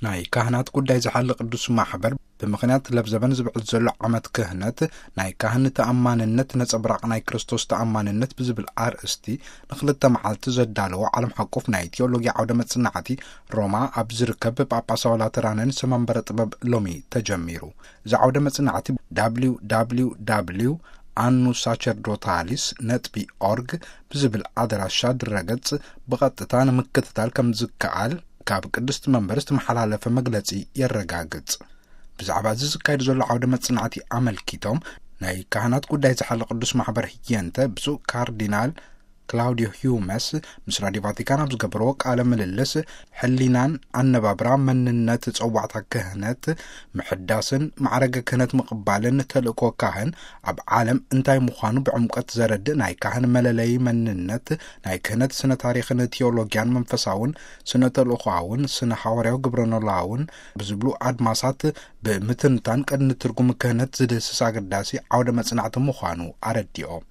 ናይ ካህናት ጉዳይ ዝሓሊ ቅዱስ ማሕበር፣ ብምኽንያት ለብዘበን ዝብዕል ዘሎ ዓመት ክህነት፣ ናይ ካህን ተኣማንነት ነጸብራቕ ናይ ክርስቶስ ተኣማንነት ብዝብል ኣርእስቲ፣ ንኽልተ መዓልቲ ዘዳለዎ ዓለም ሓቆፍ ናይ ቴዎሎጊያ ዓውደ መጽናዕቲ፣ ሮማ ኣብ ዝርከብ ጳጳሳዊ ላተራንን ሰመንበረ ጥበብ ሎሚ ተጀሚሩ። እዚ ዓውደ መጽናዕቲ፣ www ኣኑ ሳቸርዶታሊስ ነጥቢ ኦርግ ብዝብል ኣድራሻ ድረገጽ ብቐጥታ ንምክትታል ከም ዝከኣል፣ ካብ ቅድስቲ መንበር ዝተመሓላለፈ መግለጺ የረጋግጽ። ብዛዕባ እዚ ዝካየድ ዘሎ ዓውደ መጽናዕቲ ኣመልኪቶም፣ ናይ ካህናት ጉዳይ ዝሓለ ቅዱስ ማሕበር ህየንተ፣ ብፁዕ ካርዲናል ክላውዲዮ ሂዩመስ ምስ ራዲዮ ቫቲካን ኣብ ዝገበርዎ ቃለ ምልልስ፣ ሕሊናን ኣነባብራ መንነት ጸዋዕታ ክህነት ምሕዳስን ማዕረገ ክህነት ምቕባልን ተልእኮ ካህን ኣብ ዓለም እንታይ ምዃኑ ብዕምቀት ዘረድእ ናይ ካህን መለለዪ መንነት፣ ናይ ክህነት ስነ ታሪኽን ቴዎሎጊያን መንፈሳውን ስነ ተልእኮኣውን ስነ ሃዋርያዊ ግብረኖላውን ብዝብሉ ኣድማሳት ብምትንታን ቅድሚ ትርጉም ክህነት ዝድህስስ ኣገዳሲ ዓውደ መጽናዕቲ ምዃኑ ኣረዲኦም።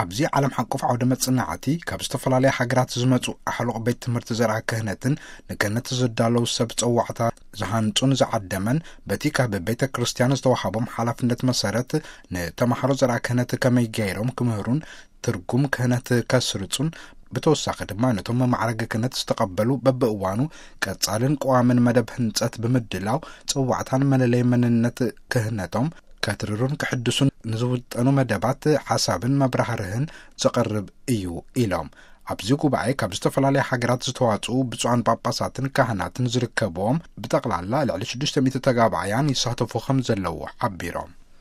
ኣብዚ ዓለም ሓቆፍ ዓውደ መጽናዕቲ ካብ ዝተፈላለያ ሃገራት ዝመጹ ኣሕሉቕ ቤት ትምህርቲ ዘርኣ ክህነትን ንክህነት ዝዳለዉ ሰብ ጸዋዕታ ዝሃንጹን ዝዓደመን፣ በቲ ካብ ቤተ ክርስቲያን ዝተዋሃቦም ሓላፍነት መሰረት ንተማሃሮ ዘርኣ ክህነት ከመይ ገይሮም ክምህሩን ትርጉም ክህነት ከስርጹን፣ ብተወሳኺ ድማ ነቶም መማዕረገ ክህነት ዝተቐበሉ በብእዋኑ ቀጻልን ቀዋምን መደብ ህንጸት ብምድላው ጸዋዕታን መለለይ መንነት ክህነቶም ከትርሩን ክሕድሱን ንዝውጠኑ መደባት ሓሳብን መብራህርህን ዘቐርብ እዩ ኢሎም። ኣብዚ ጉባኤ ካብ ዝተፈላለያ ሃገራት ዝተዋጽኡ ብፁዓን ጳጳሳትን ካህናትን ዝርከብዎም ብጠቕላላ ልዕሊ ሽዱሽተ ሚእቲ ተጋባእያን ይሳተፉ ከም ዘለዉ ሓቢሮም።